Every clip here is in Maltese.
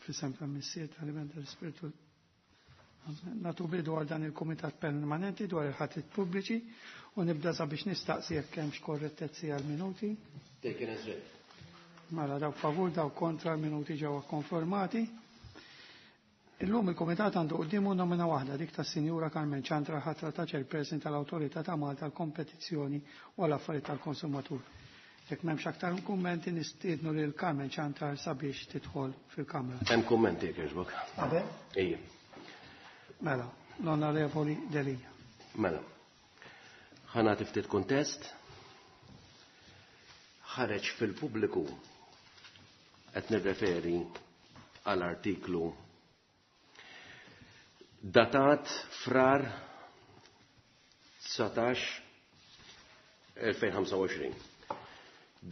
Fl-isem tal-Missier, tal-Iben, tal-Ispirtu. Nagħtu bidu għal dan il-Kumitat Permanenti dwar il-ħatrit pubbliċi u nibda sabiex nistaqsi jekk hemmx korrettezzi għal minuti. Taken as read. Mela dawk favur, dawk kontra, l-minuti ġew konformati. Illum il-Kumitat għandu quddiemu nomina waħda, dik tas-Sinjura Carmen Ciantar, ħatra ta' Chairperson tal-Awtorità ta' Malta għall-Kompetizzjoni u għall-Affarijiet tal-Konsumatur. Jekk m'hemmx aktar kummenti, nistiednu lil Carmen Ciantar sabiex tidħol fil-Kamra. Hemm kummenti jekk jogħġbok. Qabel? Ejja. Mela, l-Onorevoli Delia. Mela. Ħa nagħti ftit kuntest. Ħareġ fil-pubbliku qed nirreferi għal artiklu datat Frar 19 2025.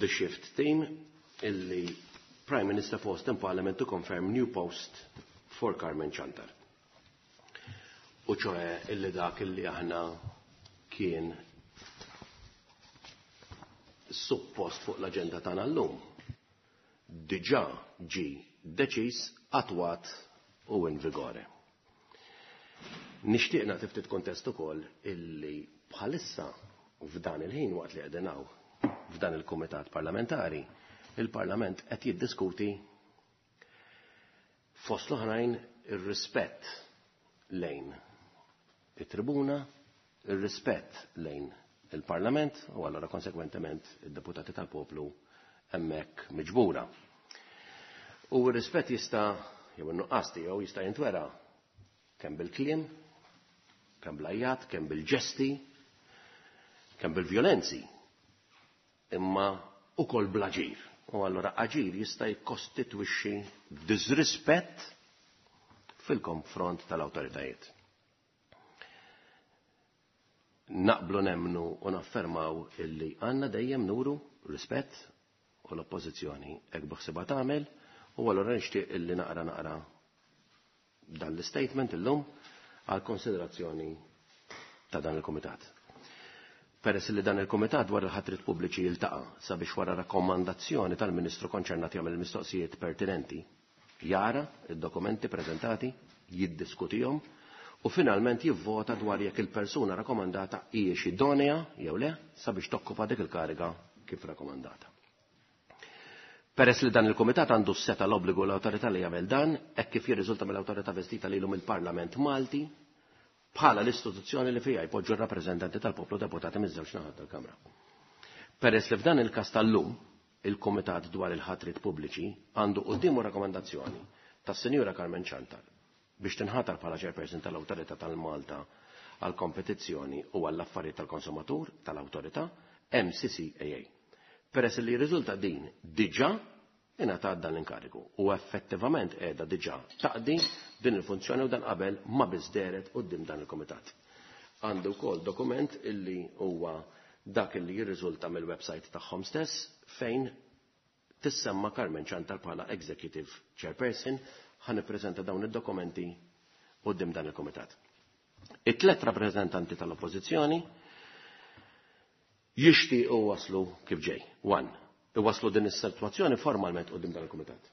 The Shift Team illi Prime Minister forced in Parliament to confirm new post for Carmen Ciantar. U ċoħe illi dak illi aħna kien suppost fuq l-agenda tagħna llum diġà ġi deċiż, attwat u in vigore. Nixtieq nagħti ftit kontest ukoll illi bħalissa f'dan il-ħin waqt li qegħdin hawn f'dan il-Kumitat Parlamentari, il-Parlament qed jiddiskuti fost l-oħrajn ir-rispett lejn it-tribuna, ir-rispett lejn il-Parlament u allura konsekwentement id-deputati tal-poplu hemmhekk miġbura. U r-rispett jista' jew in-nuqqas tiegħu jista' jintwera kemm bil-kliem, kemm bl-għajjat, kemm bil-ġesti, kemm bil-vjolenzi, imma ukoll bl-aġir. U allura aġir jista' jikkostitwixxi disrispett fil-konfront tal-awtoritajiet. Naqblu nemmnu u naffermaw illi għandna dejjem nuru rispett u l-oppożizzjoni hekk biħsibha tagħmel, u allura nixtieq illi naqra naqra dan l-statement illum għal konsiderazzjoni ta' dan il-Kumitat. Peress li dan il-Kumitat dwar il-ħatrit pubbliċi jiltaqa' sabiex wara rakkomandazzjoni tal-Ministru konċernat jagħmel il-mistoqsijiet pertinenti, jara id-dokumenti preżentati, jiddiskutihom u finalment jivvota dwar jekk il-persuna rakkomandata hijiex idonea jew le sabiex tokkupa dik il-kariga kif rakkomandata. Peress li dan il-Kumitat għandu s-seta l-obbligu l-awtorità li jagħmel dan, hekk kif jirriżulta mill-awtorità vestita lilu mill-Parlament Malti bħala l-istituzzjoni li fiha jpoġġu r-rappreżentanti tal-poplu deputati miż-żewġ naħat tal-Kamra. Peress li f'dan il-każ tal-lum, il-Kumitat dwar il-ħatrit pubbliċi għandu quddiemu rakkomandazzjoni tas-Sinjura Carmen Ciantar biex tinħatar bħala chairperson tal-Awtorità tal-Malta għall-Kompetizzjoni u għall-Affarijiet tal-Konsumatur tal-Awtorità MCCAA. Peress li jirriżulta din diġà ingħatat dan l-inkarigu u effettivament qiegħda diġà taqdi din il-funzjoni u dan qabel ma biss dehret quddiem dan il-Kumitat. Għandu wkoll dokument illi huwa dak illi jirriżulta mill-website tagħhom stess fejn tissemma Carmen Ciantar bħala Executive Chairperson. Ħa nippreżenta dawn id-dokumenti quddiem dan il-Kumitat. It-tlet rappreżentanti tal-Oppożizzjoni jixtiequ waslu kif ġej. 1. Iwaslu din is-sitwazzjoni formalment quddiem dan il-Kumitat.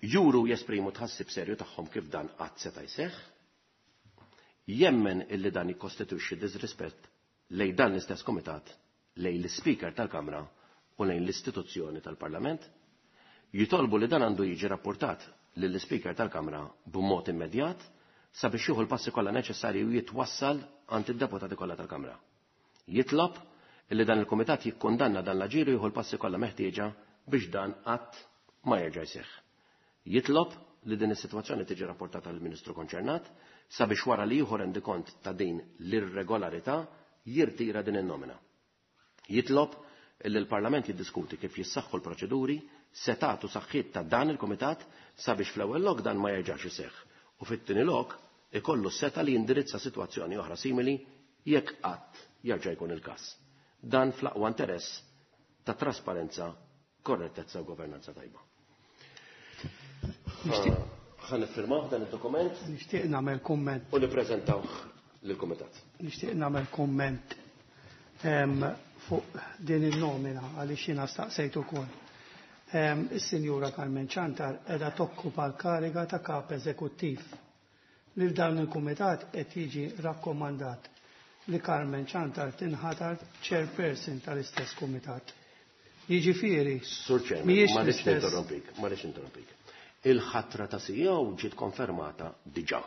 Juru jesprimu tħassib serju tagħhom kif dan qatt seta' jseħħ. Jemmen illi dan jikkostitwixxi disrispett lejn dan l-istess Kumitat, lejn l-Speaker tal-Kamra u lejn l-istituzzjoni tal-Parlament. Jitolbu li dan għandu jiġi rapportat lill-Speaker tal-Kamra b'mod immedjat sabiex jieħu l-passi kollha neċessarji u jitwassal għand id-deputati kollha tal-Kamra. Jitlob illi dan il-Kumitat jikkundanna dan l-aġir u jieħu l-passi kollha meħtieġa biex dan qatt ma jerġa' jseħħ. Jitlob li din is-sitwazzjoni tiġi rapportata lill-Ministru konċernat sabiex wara li jieħu rendikont ta' din l-irregolarità jirtira din in-nomina. Jitlob illi l-Parlament jiddiskuti kif jissaħħu l-proċeduri, setat u saħħiet ta' dan il-Kumitat sabiex fl-ewwel lok dan ma jerġax iseħħ u fit-tieni lok ikollu s-seta li jindirizza sitwazzjoni oħra simili jekk qatt jerġa' jkun il-każ. Dan fl-aqwa interess ta' trasparenza, korrettezza u governanza tajba. Ħa niffirmaw dan id-dokument. Nixtieq nagħmel kumment. U nippreżentawh lill-Kumitat. Nixtieq nagħmel kumment fuq din in-nomina għaliex jiena staqsejt ukoll. Is-Sinjura Carmen Ciantar qiegħda tokkupa l-kariga ta' kap eżekuttiv. Lil dan il-kumitat qed jiġi rakkomandat li Carmen Ciantar tinħatar chairperson tal-istess kumitat. Jiġifieri, Sur Chairman, mhijiex ma rridx l-istess. ninterrompik, ma rridx ninterrompik. Il-ħatra ta' CEO ġiet konfermata diġà.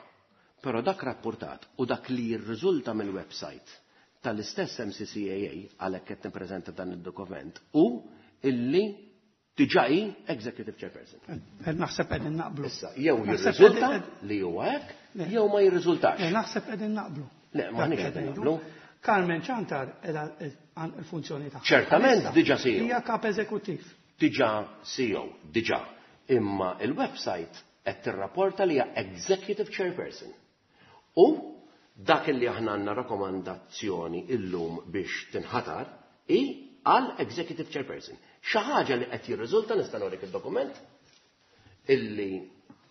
Però dak rapportat u dak li jirriżulta mill-website tal-istess MCCAA għalhekk qed nippreżenta dan id-dokument u illi diġà hi executive chairperson. Qed naħseb qegħdin naqblu. Issa, jew Naħseb jirriżulta qegħdin- li huwa hekk, Le. jew ma jirriżultax. Le, naħseb qegħdin naqblu. Le, ma Dak nix qed qegħdin ngħidu. naqblu. Carmen Ciantar qiegħda il-funzjoni tagħha. Ċertament Bħalissa diġà CEO. Hija kap eżekuttiv. Diġà CEO, diġà. Imma il-website qed tirrapporta li hija executive chairperson. U dak li aħna għandna rakkomandazzjoni illum biex tinħatar hi għal executive chairperson. Xi ħaġa li qed jirriżulta nista' norik id-dokument illi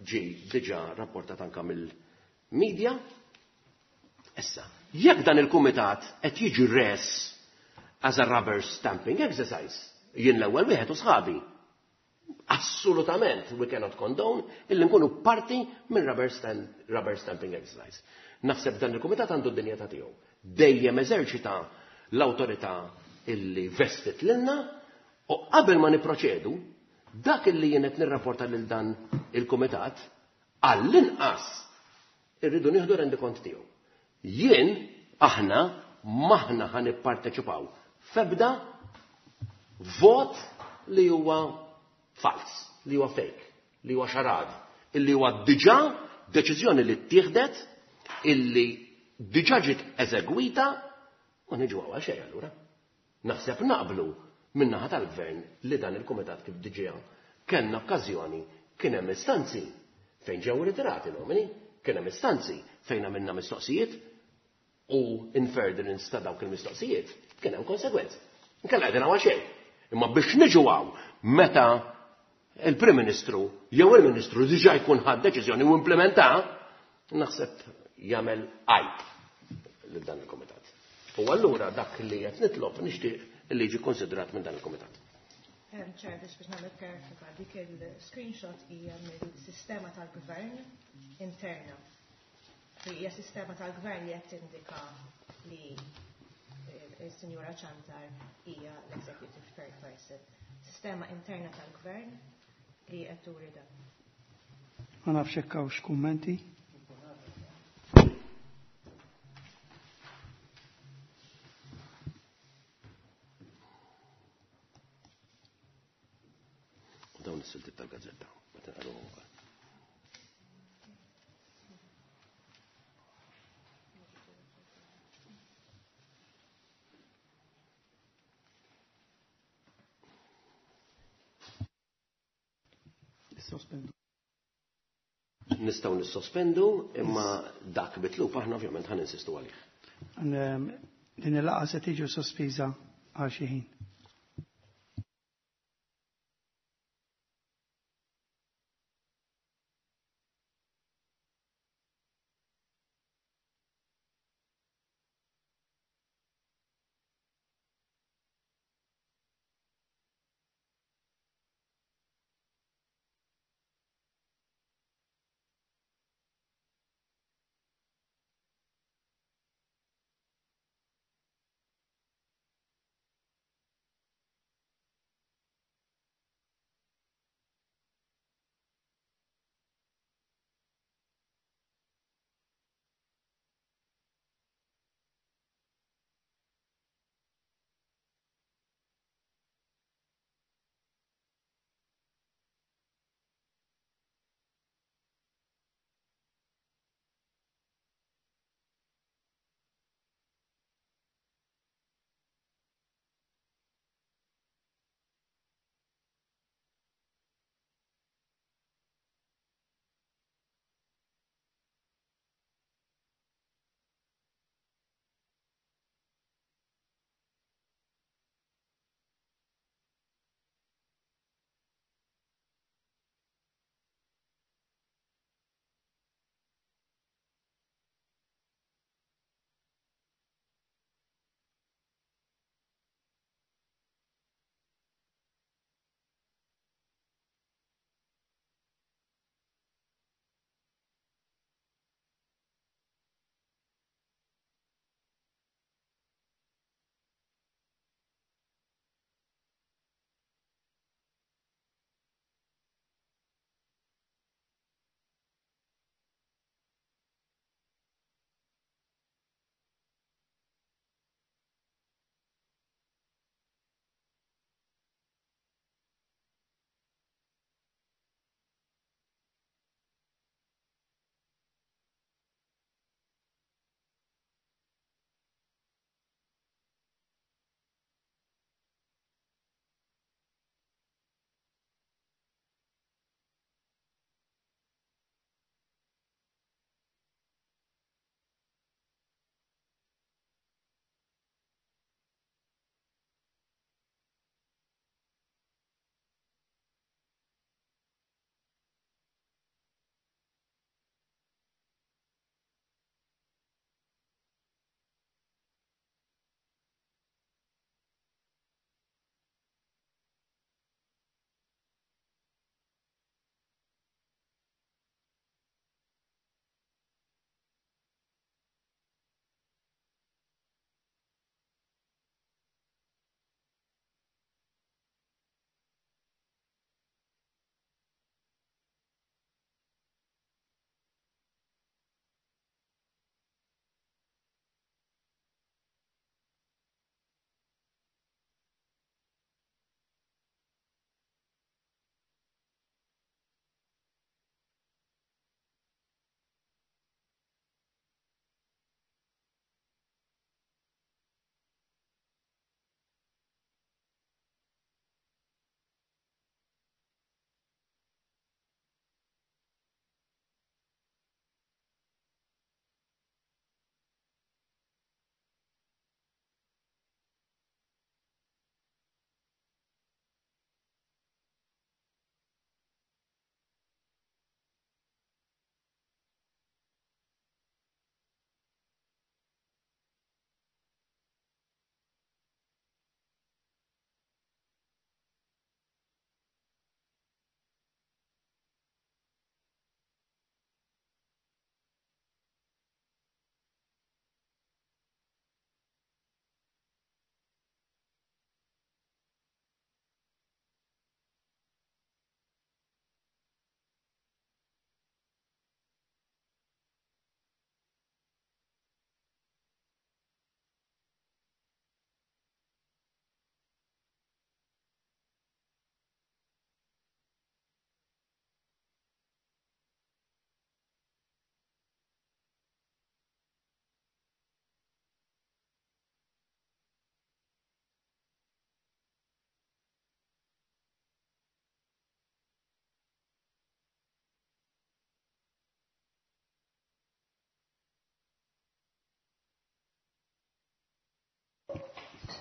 ġi diġà rapportat anka mill-media. Issa, jekk dan il-kumitat qed jiġi res as a rubber stamping exercise, jien l-ewwel wieħed u sħabi. Assolutament we cannot condone illi nkunu parti minn rubber stamping exercise. Naħseb dan il-kumitat għandu d-dinjità tiegħu. Dejjem eżerċita l-awtorità illi vestit lilna u qabel ma niproċedu, dak illi jien qed nirrapporta lil dan il-kumitat għall-inqas irridu nieħdu rendikont tiegħu. Jien aħna maħna ħa nipparteċipaw f'ebda vot li huwa fals, li huwa fake, li huwa xarad, illi huwa diġà deċiżjoni li ttieħdet, illi diġà ġiet eżegwita u niġu għal xejn allura. Naħseb naqblu min-naħa tal-gvern li dan il-kumitat kif diġà kellna okkażjoni kien hemm istanzi fejn ġew ritirati nomini, kien hemm istanzi fejn għamilna mistoqsijiet u in furtherance ta' dawk il-mistoqsijiet kien hemm konsegwenzi. Inkella qegħdin hawn xejn. Imma biex niġu hawn meta il-Prim Ministru jew il-Ministru diġà jkun ħad deċiżjoni u implementa, naħseb jagħmel għajb lil dan il-kumitat. U allura dak li qed nitlob nixtieq li jiġi konsidrat minn dan il-kumitat. Chair, biex nagħmel kjarifika, dik il-screenshot hija mill-sistema tal-gvern interna. Hija sistema tal-gvern li qed tindika li il-Sinjura Ciantar hija l-executive chairperson. Sistema interna tal-gvern li qed turi dan. Ma nafx hekk hawnx kummenti. Dawn is-siltiet tal-gazzetta, ma tinqalhom ukoll. Sospendu. Nistgħu nissospendu, imma dak bitlub aħna ovvjament ħan insistu għalih. Din il-laqgħa se tiġi sospiża għal xi ħin.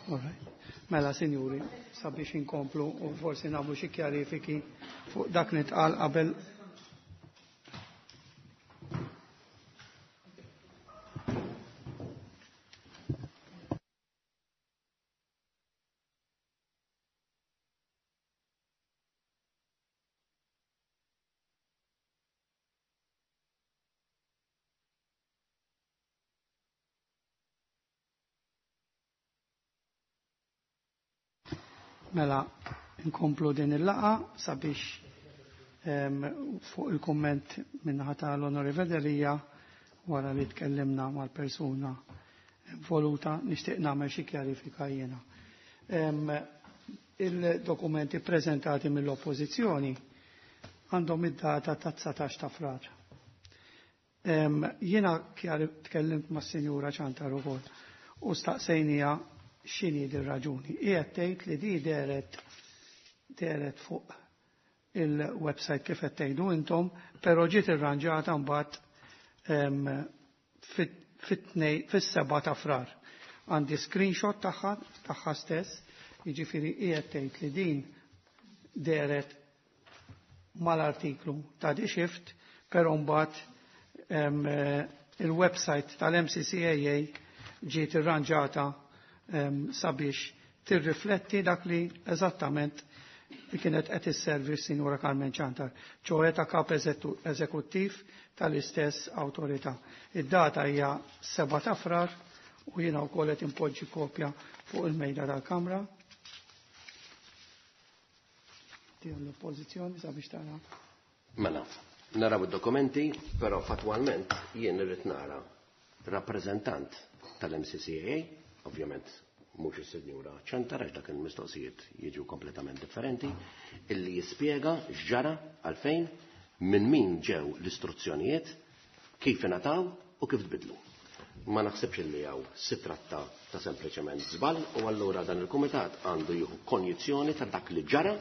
All right. Mela, sinjuri, sabiex inkomplu u forsi nagħmlu xi kjarifiki fuq dak li tqal qabel. Mela, nkomplu din il-laqa sabiex fuq il-komment minnaħa tal-Onorevole Delia wara li tkellimna mal-persuna involuta nixtieq nagħmel xi kjarifika jiena. Il-dokumenti preżentati mill-Oppożizzjoni għandhom id-data ta' 19 ta' Frar. Jiena tkellimt mas-Sinjura Ciantar ukoll u staqsejnija x'inhi din raġuni. Qiegħed tgħid li di dehret dehret fuq il-website kif qed tgħidu intom, però ġiet irranġata mbagħad fis-7 ta' Frar. Għandi screenshot tagħha tagħha stess, jiġifieri qiegħed tgħid li din dehret mal-artiklu ta' The Shift, però mbagħad il-website tal-MCCAA ġiet irranġata sabiex tirrifletti dak li eżattament li kienet qed isservi s-Sinjura Carmen Ciantar, ċoħe ta' kap eżekuttiv tal-istess awtorità. Id-data hija 7 ta' Frar u jiena wkoll qed impoġġi kopja fuq il-mejda tal-Kamra. Tiegħu l-oppożizzjoni sabiex tara. Mela, naraw id-dokumenti, però fatwalment jien irrid nara rappreżentant tal-MCCAA, ovvjament mhux is-Sinjura Ciantar għax dak il-mistoqsijiet jiġu kompletament differenti, illi jispjega x'ġara għalfejn, minn min ġew l-istruzzjonijiet, kif ingħataw u kif tbidlu. Ma naħsibx illi hawn si tratta ta' sempliċement żball u allura dan il-kumitat għandu jieħu konjizzjoni ta' dak li ġara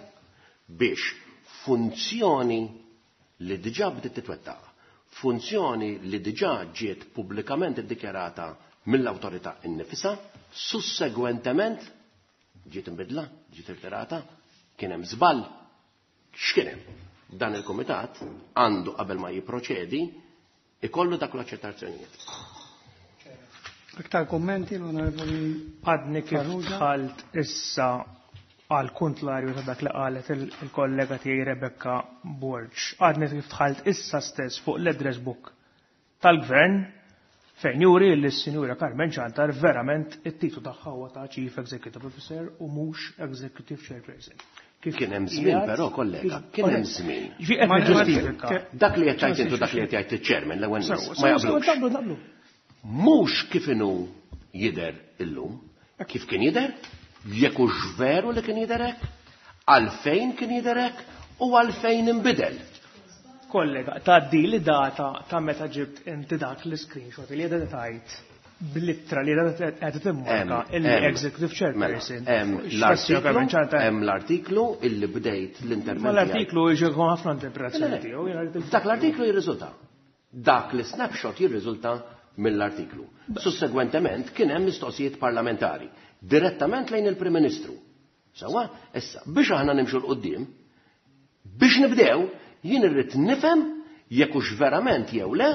biex funzjoni li diġà bdiet titwettaq, funzjoni li diġà ġiet pubblikament iddikjarata mill-awtorità innifisha, sussegwentement ġiet imbidla, ġiet irtirata, kien hemm żball. X'kien hemm? Dan il-kumitat għandu qabel ma jipproċedi ikollu dak l-aċċettazzjonijiet. Aktar kommenti l-Onorevoli Għadni kif Farrugia? dħalt issa għal kontlarju ta' dak li qalet il-kollega tiegħi Rebecca Borg. Għadni kif dħalt issa stess fuq l-address book tal-gvern fejn juri li s-Sinjura Carmen Ciantar verament it-titlu tagħha huwa ta' Chief Executive Officer u mhux Executive Chairperson. Kif Kien hemm żmien qiegħed- però, kollega, kif- kien hemm żmien. Ġi qed Ma- niġġustifika. Dak li qed tgħid intu dak li qed jgħid iċ-chairman l-ewwel nies Sewa, ma sewa, jaqblux. naqblu, naqblu. Mhux kif inhu jidher illum, kif kien jidher, jekk hux veru li kien jidher hekk, għalfejn kien jidher hekk u għalfejn inbidel. Kollega, tgħaddi li data ta' meta ġibt inti dak l-screenshot li qiegħda tgħid bl-ittra li qiegħda qiegħda timmarka illi Executive Chairperson. Hemm X'tassija Carmen l-artiklu, Ciantar? hemm l-artiklu illi bdejt l-intervent. Ma tiegħi. l-artiklu jiġi ħafna interpretazzjoni Le, le, tiegħu, jiena rrid il- Dak l-artiklu jirriżulta. Dak li snapshot jirriżulta mill-artiklu. Sussegwentement kien hemm mistoqsijiet parlamentari direttament lejn il-Prim Ministru. Sawa, issa biex aħna nimxu 'l quddiem, biex nibdew, jien irrid nifhem jekk hux verament jew le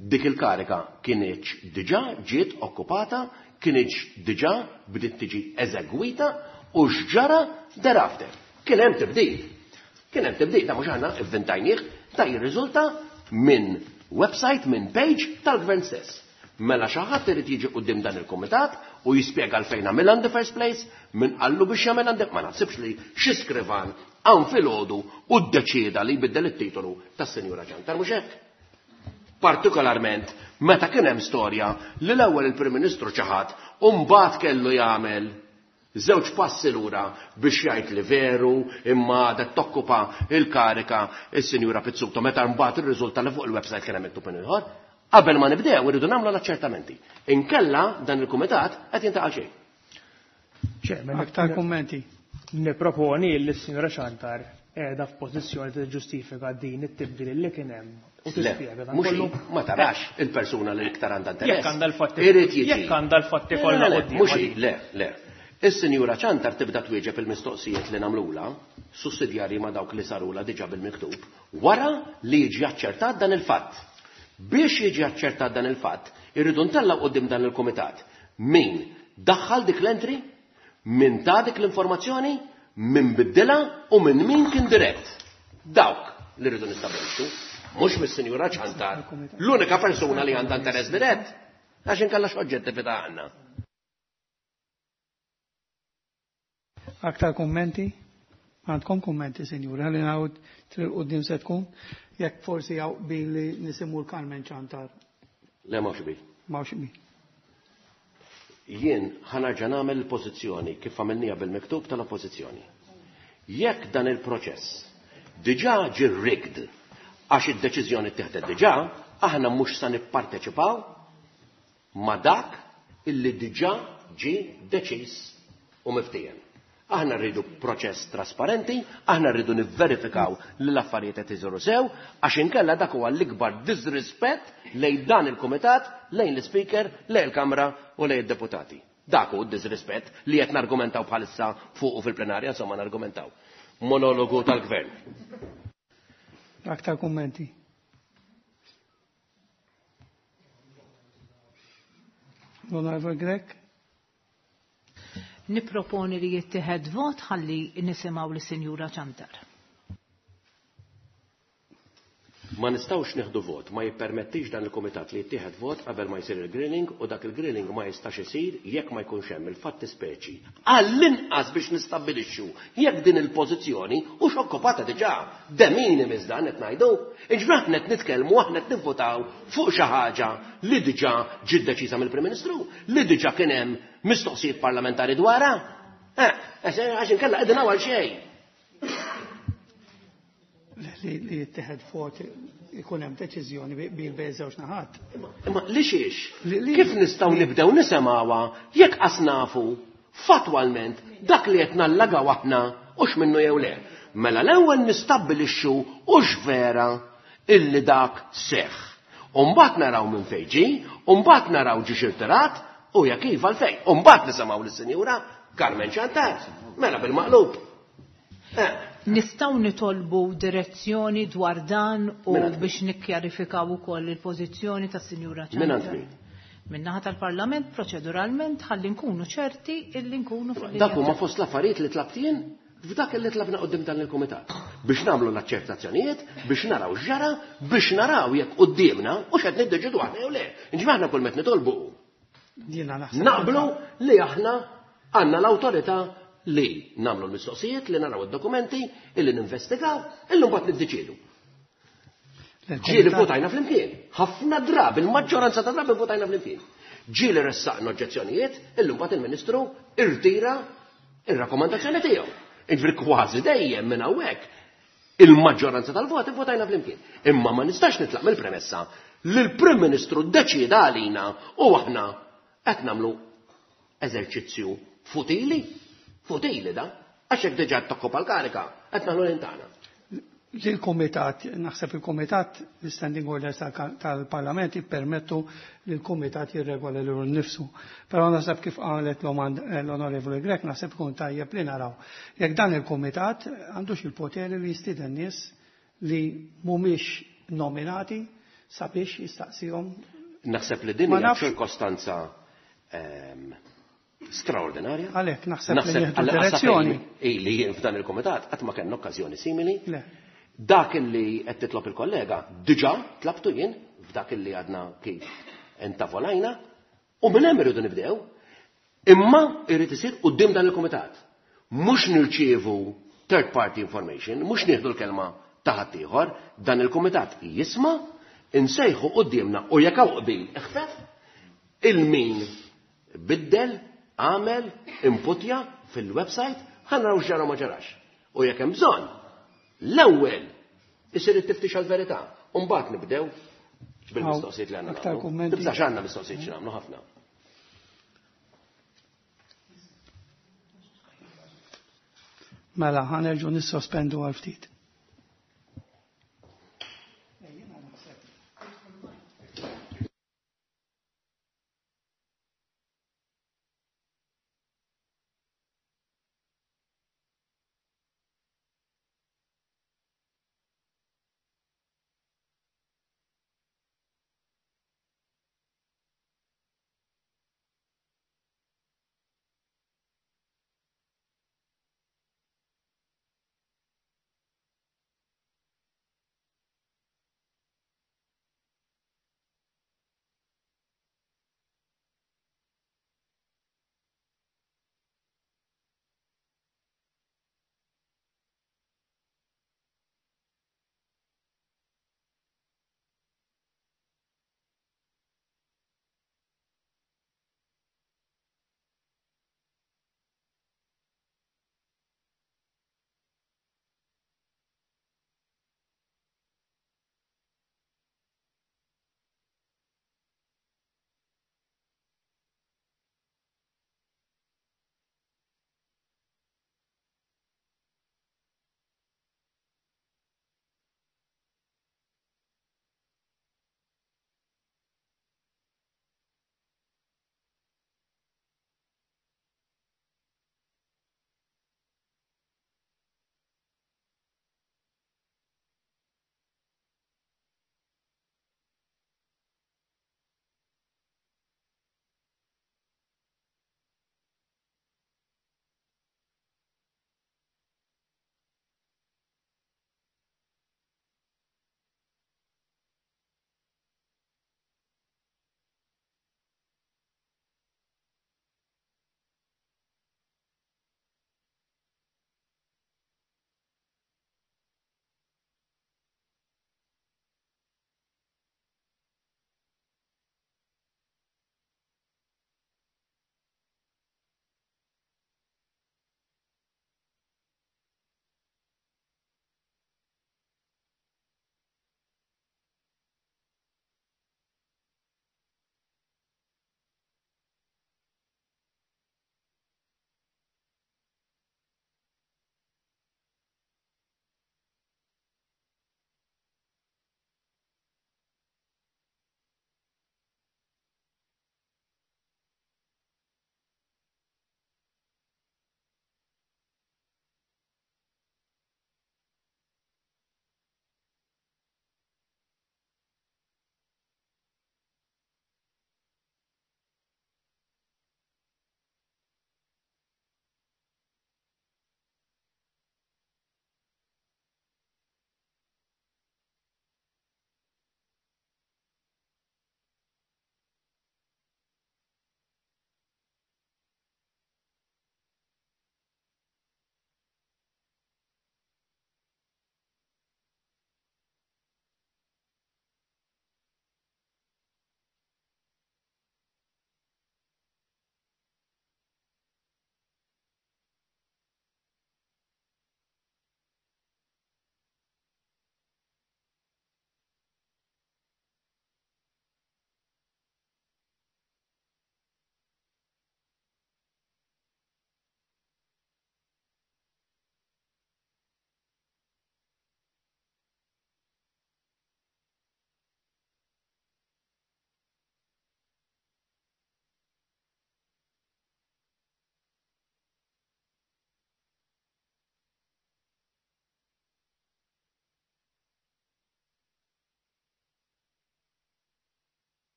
dik il-karika kienieċ diġà ġiet okkupata, kienieċ diġà bdiet tiġi eżegwita u x'ġara thereafter. Kien hemm tibdil. Kien hemm tibdil, ta' mhux aħna ivvintajnieh, ta' jirriżulta minn website, minn page tal-gvern stess. Mela xi ħadd irid jiġi quddiem dan il-kumitat u jispjega għalfejn għamilha in the first place, min qallu biex jagħmel in the ma naħsibx li xi skrivan hawn filgħodu u ddeċieda li jbiddel it-titolu tas-Sinjura Ciantar, mhux hekk. Partikolarment meta kien hemm storja li l-ewwel il-Prim Ministru ċaħad u mbagħad kellu jagħmel żewġ passi lura biex jgħid li veru imma għadha tokkupa il-karika is-Sinjura Pizzuto meta mbagħad irriżulta li fuq il-website kien hemm miktub ieħor. Qabel ma nibdew irridu nagħmlu l-aċċertamenti. Inkella dan il-kumitat qed jintaqa' xejn. Chairman, Aktar kummenti. Niproponi li s-Sinjura Ciantar qiegħda f'pożizzjoni tiġġustifika din it-tibdil li kien hemm u Le, tispjega dan mhux kollu. hi, ma tarax il-persuna li iktar għandha interess. Jekk għandha l-fatti Irid jiġi. Jekk għandha l-fatti Le, kollha le, le, quddiem. Mhux hi, le, le. Is-Sinjura Ciantar tibda twieġeb il-mistoqsijiet li nagħmlulha, sussidjarji ma' dawk li sarulha diġà bil-miktub, wara li jiġi aċċertat dan il-fatt. Biex jiġi aċċertat dan il-fatt, irridu ntellgħu quddiem dan il-kumitat min daħħal dik l-entry, min ta dik l-informazzjoni, min biddilha u minn min kien dirett. Dawk li rridu nistabbilixxu, mhux mis-Sinjura Ciantar, l-unika persuna li għandha interess dirett, għax inkella x'oġġettività għandna. Aktar kummenti? Għandkom kummenti, sinjura, li nagħud triq quddiem se tkun, jekk forsi hawn qbil li nisimgħu l-Carmen Ciantar. Le m'hawnx qbil. M'hawnx qbil. Jien ħa nerġa' nagħmel il-pożizzjoni kif għamilniha bil-miktub tal-Oppożizzjoni. Jekk dan il-proċess diġà ġie rigged għax id-deċiżjoni ttieħdet diġà, aħna mhux sa nipparteċipaw ma' dak illi diġà ġie deċiż u miftiehem. Aħna rridu proċess trasparenti, aħna rridu nivverifikaw li l-affarijiet qed isiru sew, għax inkella dak huwa l-ikbar disrispett lejn dan il-kumitat, lejn l-Ispeaker, lejn il-Kamra u lejn id-deputati. Dak hu d-disrispett li qed nargumentaw bħalissa fuqu fil-plenarja, insomma nargumentaw. Monologu tal-Gvern. Aktar kummenti? L-Onorevole Grech? Niproponi li jittieħed vot ħalli nisimgħu lis-Sinjura Ciantar. Ma nistgħux nieħdu vot, ma jippermettix dan il-kumitat li jittieħed vot qabel ma jsir il-grilling u dak il-grilling ma jistax isir jekk ma jkunx hemm il-fatti speċi. Għall-inqas biex nistabbilixxu jekk din il-pożizzjoni hux okkupata diġà. De minimis dan qed ngħidu. Jiġifieri aħna qed nitkellmu, aħna qed nivvotaw fuq xi ħaġa li diġà ġiet deċiża mill-Prim Ministru, li diġà kien hemm mistoqsijiet parlamentari dwarha. Għax inkella qegħdin hawn għal xejn. Li jittieħed vot ikun hemm deċiżjoni bil bejn żewġ naħat. Imma li xiex? Kif nistgħu nibdew nisimgħuha jekk qas nafu fatwalment dak li qed nallagaw aħna hux minnu jew le? Mela l-ewwel nistabbilixxu hux vera illi dak seħħ. U mbagħad naraw minn fejn ġie, u mbagħad naraw ġiex irtirat u jekk iva għalfejn. U mbagħad nisimgħu lis-Sinjura Carmen Ciantar. Mela bil-maqlub. Nistgħu nitolbu direzzjoni dwar dan u biex nikkjarifikaw ukoll il-pożizzjoni tas-Sinjura Ciantar. Minn għand min? Min-naħa tal-Parlament proċeduralment ħalli nkunu ċerti illi nkunu fil-linja. Dak huma fost l-affarijiet li tlabt jien f'dak li tlabna qudiem dan il-kumitat. Biex nagħmlu l-aċċertazzjonijiet, biex naraw x'ġara, biex naraw jekk quddiemna u x'qed niddeċidu aħna jew le. Inġifieri aħna kull meta nitolbu. Jiena naħseb Naqblu li aħna għandna l-awtorità li nagħmlu l-mistoqsijiet, li naraw id-dokumenti, illi ninvestigaw, illi mbagħad niddeċiedu. Ġieli votajna flimkien. Ħafna drabi, il-maġġoranza ta' drabi votajna flimkien. Ġieli ressaqna oġġezzjonijiet, illi mbagħad il-Ministru irtira ir-rakkomandazzjoni tiegħu. Jiġifieri kważi dejjem minn hawnhekk il-maġġoranza tal-voti votajna flimkien. Imma ma nistax nitlaq mill-premessa li l-Prim Ministru ddeċieda għalina u aħna qed nagħmlu eżerċizzju futili. Futili da, għax hekk diġà tokkopa l-karika, qed nagħmlu l-intana. Il-Komitat, naħseb il-Komitat, l-Standing Orders tal-Parlament jippermettu li l-Komitat jirregola lilu nnifsu. Però naħseb kif qalet l-Onorevoli Grech, naħseb ikun tajjeb li naraw. Jekk dan il-Komitat għandux il-poteri li jistieden nies li mhumiex nominati sabiex jistaqsihom. Naħseb li din Ma hija nafx. ċirkostanza straordinarja. Għalhekk naħseb li Naħseb nieħdu għal direzzjoni. Li jien f'dan il-kumitat qatt ma kellna okkażjoni simili. Le. Dak li qed titlob il-kollega diġà tlabtu jien f'dak li għadna kif intavolajna u minn hemm irridu nibdew. Imma irrid isir quddiem dan il-kumitat. Mhux nirċievu third party information, mhux nieħdu l-kelma ta' ħaddieħor, dan il-kumitat jisma', insejħu quddiemna u jekk hawn qbil iħfef il-min biddel, għamel, inputja fil-website, ħa naraw x'ġara ma ġarax. U jekk hemm bżonn, l-ewwel isir it-tiftix għall-verità. U mbagħad nibdew bil-mistoqsijiet li għandna Aktar nagħmlu. kummenti? Tibżax għandna mistoqsijiet xi nagħmlu ħafna. Mela, ħanerġu nissospendu għal ftit.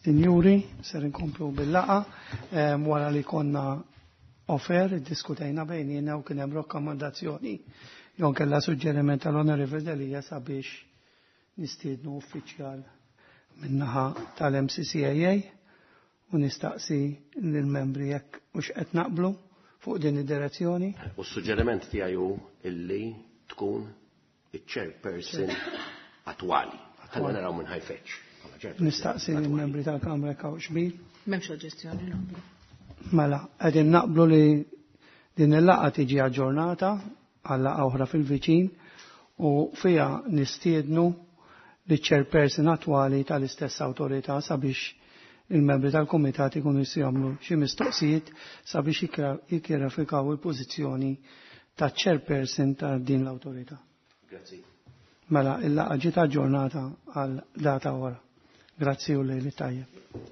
Sinjuri, ser inkomplu bil-laqgħa wara li konna off-air, iddiskutejna bejnietna u kien hemm rakkomandazzjoni jew kellha suġġeriment tal-Onorevoli Delia sabiex nistiednu uffiċjal min-naħa tal-MCCAA u nistaqsi lill-membri jekk hux qed naqblu fuq din id-direzzjoni. U s-suġġeriment tiegħi hu illi tkun iċ-chairperson attwali. Ħalli naraw minn ħa jfeġġ. Nistaqsi lill-membri tal-Kamra jekk hawnx qbil. M'hemmx oġġezzjoni, naqblu. Mela, qegħdin naqblu li din il-laqgħa tiġi aġġornata għal laqgħa oħra fil-viċin u fiha nistiednu li chairperson attwali tal-istess awtorità sabiex il-membri tal-kumitat ikunu jistgħu jagħmlu xi mistoqsijiet sabiex jikkjarifikaw il-pożizzjoni ta' chairperson ta' din l-awtorità. Grazzi. Mela, il-laqgħa ġiet aġġornata għal data oħra. Grazzi u lejl tajjeb.